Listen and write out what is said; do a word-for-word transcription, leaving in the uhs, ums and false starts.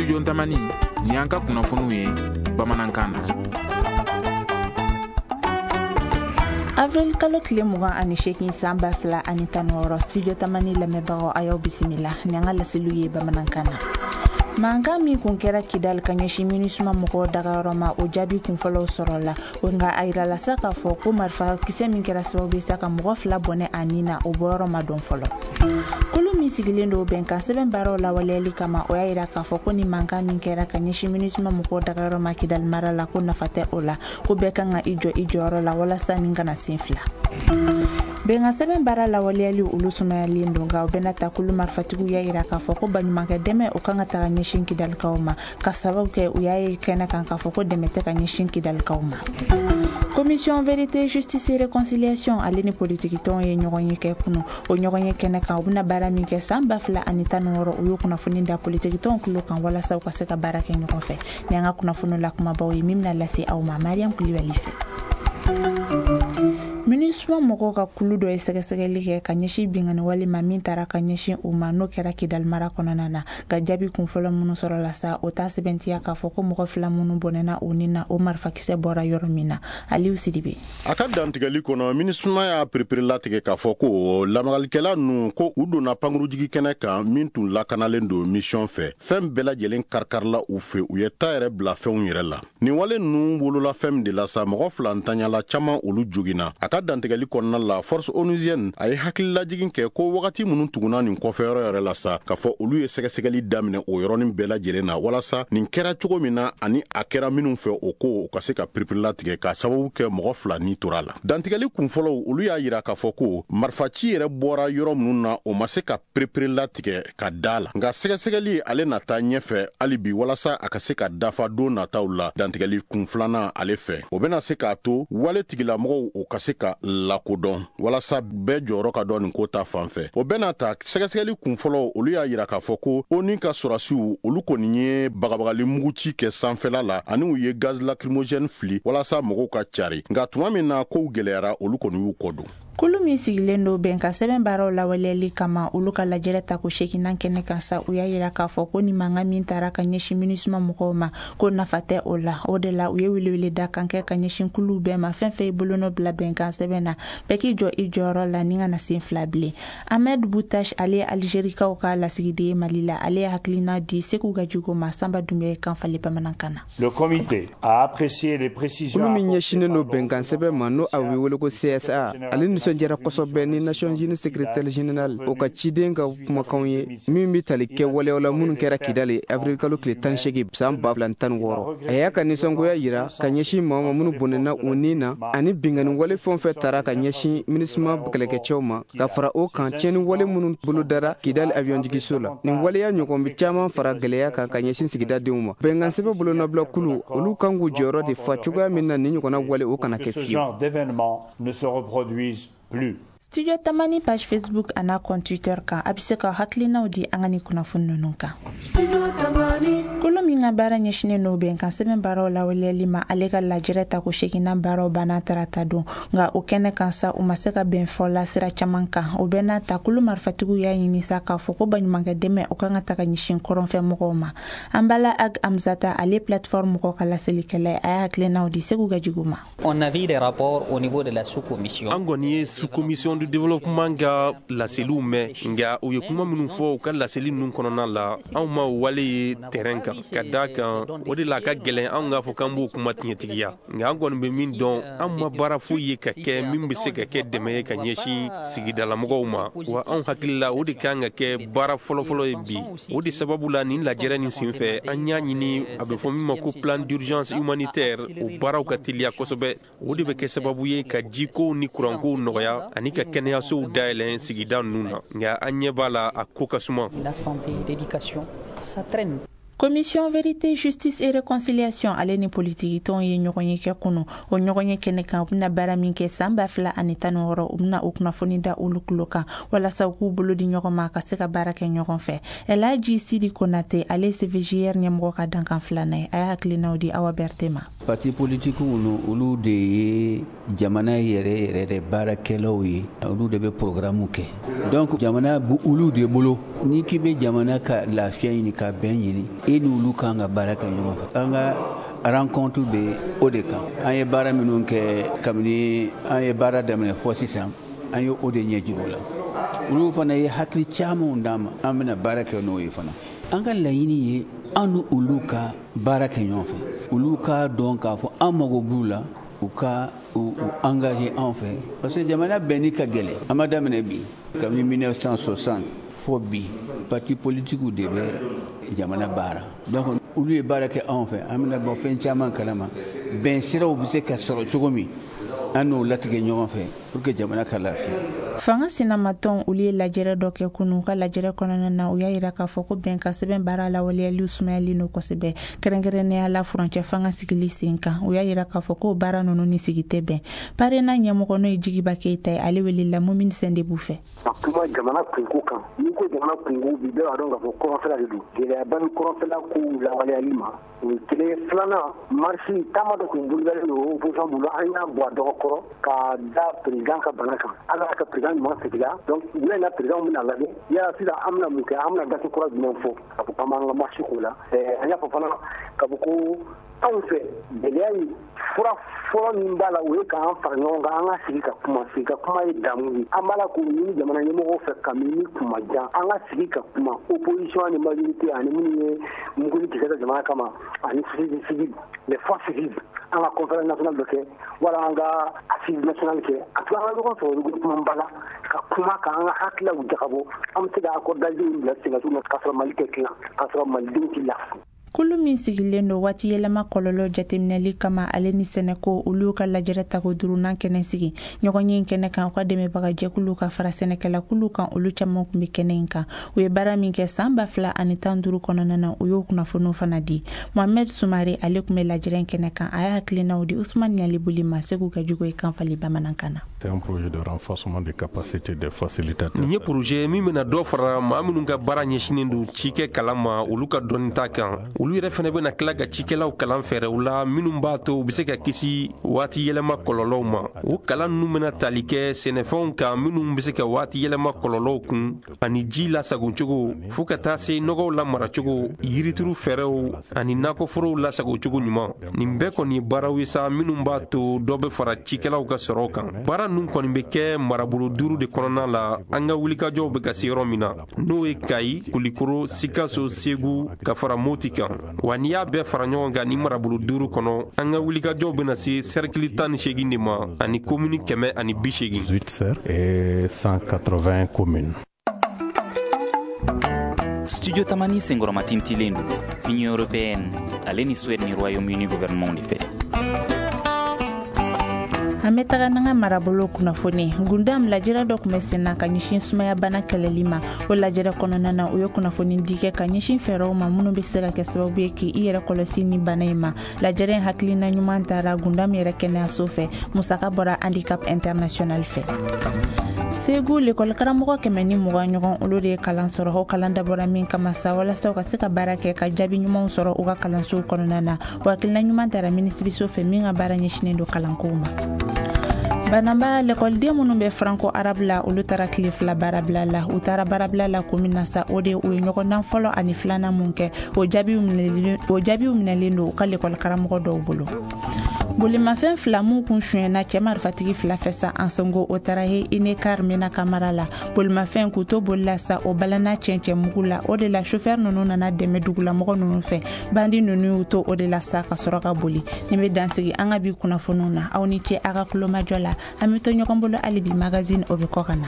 Studio Tamani, ni an ka kunnafoniw ye bamanankan na. Avril kalo tile mugan ani seegin san ba fila ani tan ni wɔɔrɔ, Studio Tamani lamɛnbagaw, a y'aw bisimila ni an ka laseliw ye bamanankan na. Mankan min kun kɛra Kidal ka ɲɛsin MINUSMA mɔgɔw dagayɔrɔ ma, o jaabi kunfɔlɔw sɔrɔla. Nka a yirala sa k'a fɔ ko marifa kisɛ min kɛra sababu ye sa ka mɔgɔ fila bɔnɛ a nin na, o bɔyɔrɔ ma dɔn fɔlɔ. Kulu min sigilen don bɛnkan sɛbɛn baaraw lawaleyali kama, o y'a yira k'a fɔ ko ni mankan min kɛra ka ɲɛsin MINUSMA mɔgɔw dagayɔrɔ ma Kidal mara la, ko nafa tɛ o la, ko bɛɛ kan ka i jɔ i jɔyɔrɔ la walasa nin kana sen fila. Bɛnkan sɛbɛn baara lawaleyali olu sumayalen don, nka o bɛna ta kulu marifatigiw y'a yira k'a fɔ ko baɲumankɛ dɛmɛ o kan ka taga ɲɛsin Kidalikaw ma, ka sababu kɛ u y'a ye kɛnɛ kan k'a fɔ ko dɛmɛ tɛ ka ɲɛsin Kidalikaw ma. Commission vérité, justice et réconciliation ale ni politikitɔnw ye ɲɔgɔn ye kɛ kunu. O ɲɔgɔn ye kɛnɛ kan, u bɛna baara min kɛ san ba fila ani tan ni wɔɔrɔ, u y'o kunnafoni da politikitɔnw tulo kan walasa u ka se ka baara kɛ ɲɔgɔn fɛ. Ni an ka kunnafoni la kumabaw ye min bɛna lase aw ma Mariam Kulibali fɛ. MINUSMA mɔgɔw ka kulu dɔ ye sɛgɛsɛgɛli kɛ ka ɲɛsin binkanni wale ma min taara ka ɲɛsin u ma, n'o kɛra Kidal mara kɔnɔna na. Ka jaabi kunfɔlɔ minnu sɔrɔla sa, o t'a sɛbɛntiya k'a fɔ ko mɔgɔ fila minnu bɔnɛna u nin na, o marifakisɛ bɔra yɔrɔ min na. Aliou Sidibe. A ka dantigɛli kɔnɔ, MINUSMA y'a perepere latigɛ k'a fɔ ko lamagalikɛla ninnu ko u donna pankurujigi kɛnɛ kan min tun lakanalen don mission fɛ. Fɛn bɛɛ lajɛlen karikarila u fɛ, u ye ta yɛrɛ bila fɛnw yɛrɛ la. Nin wale ninnu wolola fɛn min de la sa, mɔgɔ fila ntanyala, caman olu joginna. A ka dantigɛli kɔnɔna la, force onusienne a ye hakililajigin kɛ ko wagati minnu tugunna nin kɔfɛyɔrɔ yɛrɛ la sa, k'a fɔ olu ye sɛgɛsɛgɛli daminɛ o yɔrɔnin bɛɛ lajɛlen na, walasa nin kɛra cogo min na ani a kɛra minnu fɛ, o ko u ka se ka piripirilatigɛ k'a sababu kɛ mɔgɔ fila ni tora la. Dantigɛli kunfɔlɔw olu y'a yira k'a fɔ ko marifaci yɛrɛ bɔra yɔrɔ minnu na, o ma se ka piripirilatigɛ ka da la, nka sɛgɛsɛgɛli ale na taa ɲɛfɛ hali bi walasa a ka se ka dafa don nataw la. Dantigɛli kun filanan ale fɛ, o bɛna se k'a to wale tigilamɔgɔw o ka se ka lakodɔn walasa bɛɛ jɔyɔrɔ ka dɔn nin ko ta fan fɛ. O bɛna ta sɛgɛsɛgɛli kunfɔlɔ olu y'a yira k'a fɔ ko ONU ka sɔrɔdasiw olu kɔni ye bagabagali muguci kɛ sanfɛla la, ani u ye gaz lacrymogène fili walasa mɔgɔw ka cari, nka tuma min na kow gɛlɛyara, olu kɔni y'u kɔ don. Kulu min sigilen don bɛnkan sɛbɛn baaraw lawaleyali kama, olu ka lajɛrɛ tako seeginan kɛnɛ kan sa, u y'a yira k'a fɔ ko ni mankan min taara ka ɲɛsin MINUSMA mɔgɔw ma, ko nafa tɛ o la. O de la u ye welewele da kan kɛ ka ɲɛsin kuluw bɛɛ ma, fɛn fɛn ye bolonɔ bila bɛnkan sɛbɛn na, bɛɛ k'i jɔ i jɔyɔrɔ la ni ka na sen fila bilen. Ahmed Boutache, ale ye Algérikaw ka lasigiden ye Mali la, ale ye hakilina di Sekou Gadjigo ma Samba Dunbiya ye kan falen bamanankan na. Le comité a apprécié les précisions. Kulu min ɲɛsinnen don bɛnkan sɛbɛn ma, n'o a bɛ wele ko C S A, ale nisɔndiyara kosɛbɛ ni Nations Unies secrétaire général o ka ciden ka kumakanw ye min bɛ tali kɛ waleyaw la minnu kɛra Kidali avril kalo tile tan seegin san ba fila tan wɔɔrɔ. A y'a ka nisɔngoya yira ka ɲɛsin maa ma minnu bɔnɛna u nin na, ani binkanni wale fɛn o fɛn tara ka ɲɛsin MINUSMA kɛlɛkɛcɛw ma, ka fara o kan tiɲɛni wale minnu bolodara Kidali avion jigiso la. Nin waleya ɲɔgɔn bɛ caman fara gɛlɛya kan ka ɲɛsin sigidadenw ma. Bɛnkan sɛbɛn bolonɔbila kulu olu kan k'u jɔyɔrɔ de fa cogoya min na nin ɲɔgɔnna wale o kana kɛ fiyewu. Plus. Studio Tamani page Facebook a n'a compte Twitter kan, a bɛ se ka hakilinaw di an ka ni kunnafoni ninnu kan. Kulu min ka baara ɲɛsinnen don bɛnkan sɛbɛn baaraw lawaleyali ma, ale ka lajɛrɛ tako seeginan baaraw banna tarata don. Nka o kɛnɛ kan sa, u ma se ka bɛn fɔ la sira caman kan. O bɛɛ n'a ta, kulu marifatigiw y'a ɲini sa k'a fɔ ko baɲumankɛ dɛmɛ o kan ka taga ɲɛsin kɔrɔnfɛ mɔgɔw ma. Anbala Ag Amzata, ale plateforme mɔgɔw ka laselikɛla ye, a y'a hakilinaw di Sekou Gadjigo ma. On a vu des rapports au niveau de la sous-commission. An kɔni ye sous-commission du développement ka laseliw mɛn, nka u ye kuma minnu fɔ u ka laseli ninnu kɔnɔna la, anw ma o wale ye terrain kan. Ka da kan o de la a ka gɛlɛn anw k'a fɔ k'an b'o kuma tiɲɛtigiya, nka an kɔni bɛ min dɔn, an ma baara foyi ye ka kɛ min bɛ se ka kɛ dɛmɛ ye ka ɲɛsin sigidalamɔgɔw ma. Wa anw hakili la, o de kan ka kɛ baara fɔlɔfɔlɔ ye bi. O de sababu la, nin lajɛrɛ nin senfɛ, an y'a ɲini a bɛ fɔ min ma ko plan d'urgence humanitaire, o baaraw ka teliya kosɛbɛ. O de bɛ kɛ sababu ye ka jikow ni kurankow nɔgɔya ani ka kɛnɛyasow dayɛlɛn sigida ninnu na, nka an ɲɛ b'a la, a ko ka suma. La santé, l'éducation, ça traîne. Commission vérité, justice et réconciliation ale ni politikitɔnw ye ɲɔgɔn ye kɛ kunu. O ɲɔgɔn ye kɛnɛ kan, u bɛna baara min kɛ san ba fila ani tan ni wɔɔrɔ, u bɛna o kunnafoni da olu tulo kan walasa u k'u bolo di ɲɔgɔn ma ka se ka baara kɛ ɲɔgɔn fɛ. Elhaji Sidi Konate, ale C V J R ɲɛmɔgɔ ka dankan filanan ye, a y'a hakilinaw di Awa Berte ma. Parti politikiw, olu de ye jamana yɛrɛ yɛrɛ de baarakɛlaw ye, olu de bɛ programme kɛ. Donc jamana bu olu de bolo. N'i k'i bɛ jamana ka lafiya ɲini, ka bɛn ɲini, E n'olu kan ka baara kɛ ɲɔgɔn fɛ. An ka rencontre bɛ o de kan. An ye baara minnu kɛ kabini an ye baara daminɛ fɔ sisan, an ye o de ɲɛ jira u la. Olu fana ye hakili camanw d'an ma, an bɛna baara kɛ n'o ye fana. An ka laɲini ye an ni olu ka baara kɛ ɲɔgɔn fɛ. Olu k'a dɔn k'a fɔ an mago b'u la, u ka u engager an fɛ. Parce que jamana bɛnni ka gɛlɛn. An ma daminɛ bi. Kabini mille neuf cent soixante fo bi, parti politiques de bɛ jamana baara. Donc olu ye baara kɛ anw fɛ, an bɛna bɔ fɛn caman kalama. Bɛn siraw bɛ se ka sɔrɔ cogo min, an n'o latigɛ ɲɔgɔn fɛ pour que jamana ka lafiya. Fanga sinamatɔn olu ye lajɛrɛ dɔ kɛ kunun. U ka lajɛrɛ kɔnɔna na, u y'a yira k'a fɔ ko bɛnkan sɛbɛn baara lawaleyali sumayalen don kosɛbɛ, kɛrɛnkɛrɛnnenya la furancɛ fanga sigili sen kan. U y'a yira k'a fɔ ko baara ninnu ni sigi tɛ bɛn. Parena ɲɛmɔgɔ n'o ye Jigiba Keyita ye, ale welela Mumini Sɛndebu fɛ. Ka kuma jamana kunko kan, n'i ko jamana kunko bi, bɛɛ b'a dɔn k'a fɔ kɔrɔnfɛla de don. Gɛlɛyaba ni kɔrɔnfɛla kow lawaleyali ma, o ye kelen ye. Filanan, marche taama dɔ tun bolodalen don opposition bolo, an y'a bɔ a dɔgɔ kɔrɔ ka da président ka bana kan. Ala ka président ɲuman seginna, donc wula in na président bɛna lajɛ yala sisan an bɛna mun kɛ, an bɛna gafe kura jumɛn fɔ ka fɔ k'an b'an ka marche k'o la. An y'a fɔ fana k'a fɔ ko anw fɛ gɛlɛya in fura fɔlɔ min b'a la, o ye k'an fara ɲɔgɔn kan, an ka sigi ka kuma. Sigi ka kuma ye damu ye. An b'a la k'o ɲini jamana ɲɛmɔgɔw fɛ kabini kuma jan, an ka sigi ka kuma, opposition ani majorité ani minnu ye muguni kisɛ kɛ jamana kama ani société civile, les forces vives, an ka conférence nationale dɔ kɛ wala an ka assise nationale kɛ. A to an ka ɲɔgɔn sɔrɔ regroupement ba la ka kuma k'an ka hakililaw jagabɔ, an bɛ se ka accord d'Alger bila sen kan cogo min na, k'a sɔrɔ Mali tɛ tilan, k'a sɔrɔ Malidenw tɛ lafiya. Kulu min sigilen don waati yɛlɛma kɔlɔlɔ jateminɛli kama, ale ni sɛnɛko, olu ka lajɛrɛ tako duurunan kɛnɛ sigi ɲɔgɔn ye kɛnɛ kan. U ka dɛmɛbagajɛkulu ka fara sɛnɛkɛlakulu kan, olu caman tun bɛ kɛnɛ in kan. U ye baara min kɛ san ba fila ani tan duuru kɔnɔna na, u y'o kunnafoniw fana di. Mohamed Sumare, ale tun bɛ lajɛrɛ kɛnɛ kan, a y'a hakilinaw di Usumani Ɲalibuli ma Segu ka jugu ye kan fali bamanankan na. Nin ye projet min bɛna dɔ fara maa minnu ka baara ɲɛsinnen don cikɛ kalan ma, olu ka dɔnni ta kan. Olu yɛrɛ fana bɛna tila ka cikɛlaw kalan fɛɛrɛw la minnu b'a to u bɛ se ka kisi waati yɛlɛma kɔlɔlɔw ma. O kalan ninnu bɛna tali kɛ sɛnɛfɛnw kan minnu bɛ se ka waati yɛlɛma kɔlɔlɔw kun, ani ji lasagocogo, fo ka taa se nɔgɔw lamaracogo, yirituru fɛɛrɛw ani nakɔforow lasagocogo ɲuman. Nin bɛɛ kɔni ye baaraw ye sa minnu b'a to dɔ bɛ fara cikɛlaw ka sɔrɔ kan. Baara ninnu kɔni bɛ kɛ marabolo duuru de kɔnɔna la, an ka wulikajɔw bɛ ka se yɔrɔ min na, n'o ye Kayi, Kulikoro, Sikaso, Segu ka fara Moti kan. Wa n'i y'a bɛɛ fara ɲɔgɔn kan ni marabolo duuru kɔnɔ, an ka wulikajɔw bɛna se sɛrikili tan ni seegin de ma ani komini kɛmɛ ani bi seegin. Studio Tamani senkɔrɔmatintilen don Union européenne ale ni Suède ni Royaume-Uni gouvernement de fɛ. An bɛ taga n'an ka marabolo kunnafoni. Gundam lajɛrɛ dɔ tun bɛ sen na ka ɲɛsin sumayabana kɛlɛli ma. O lajɛrɛ kɔnɔna na, u ye kunnafoni di kɛ ka ɲɛsin fɛɛrɛw ma minnu bɛ se ka kɛ sababu ye k'i yɛrɛ kɔlɔsi ni bana in ma. Lajɛrɛ in hakilina ɲuman taara Gundam yɛrɛ kɛnɛyaso fɛ. Musaka bɔra Handicap International fɛ. Segu lekɔli karamɔgɔ kɛmɛ ni mugan ɲɔgɔn, olu de ye kalan sɔrɔ. O kalan dabɔra min kama sa, walasa u ka se ka baara kɛ ka jaabi ɲumanw sɔrɔ u ka kalansow kɔnɔna na. O hakilina ɲuman taara minisiriso fɛ min ka baara ɲɛsinnen don kalankow ma. Banamba lekɔliden minnu bɛ franco arabe la, olu taara tile fila baarabila la. U taara baarabila la ko min na sa, o de u ye ɲɔgɔndan fɔlɔ ani filanan mun kɛ, o jaabiw minɛlen don u ka lekɔli karamɔgɔ dɔw bolo. Bolimafɛn fila mun kun sonyɛna cɛ marifatigi fila fɛ sa Ansongo, o taara he Inekar Mena Kamara la. Bolimafɛn k'u to boli la sa, o balana cɛncɛn mugu la. O de la chauffeur ninnu nana dɛmɛ dugulamɔgɔ ninnu fɛ. Bandi ninnu y'u to o de la sa ka sɔrɔ ka boli. Nin bɛ dansigi an ka bi kunnafoniw na. Aw ni ce a ka kulomajɔ la. An bɛ to ɲɔgɔn bolo hali bi magazine o bɛ kɔ ka na.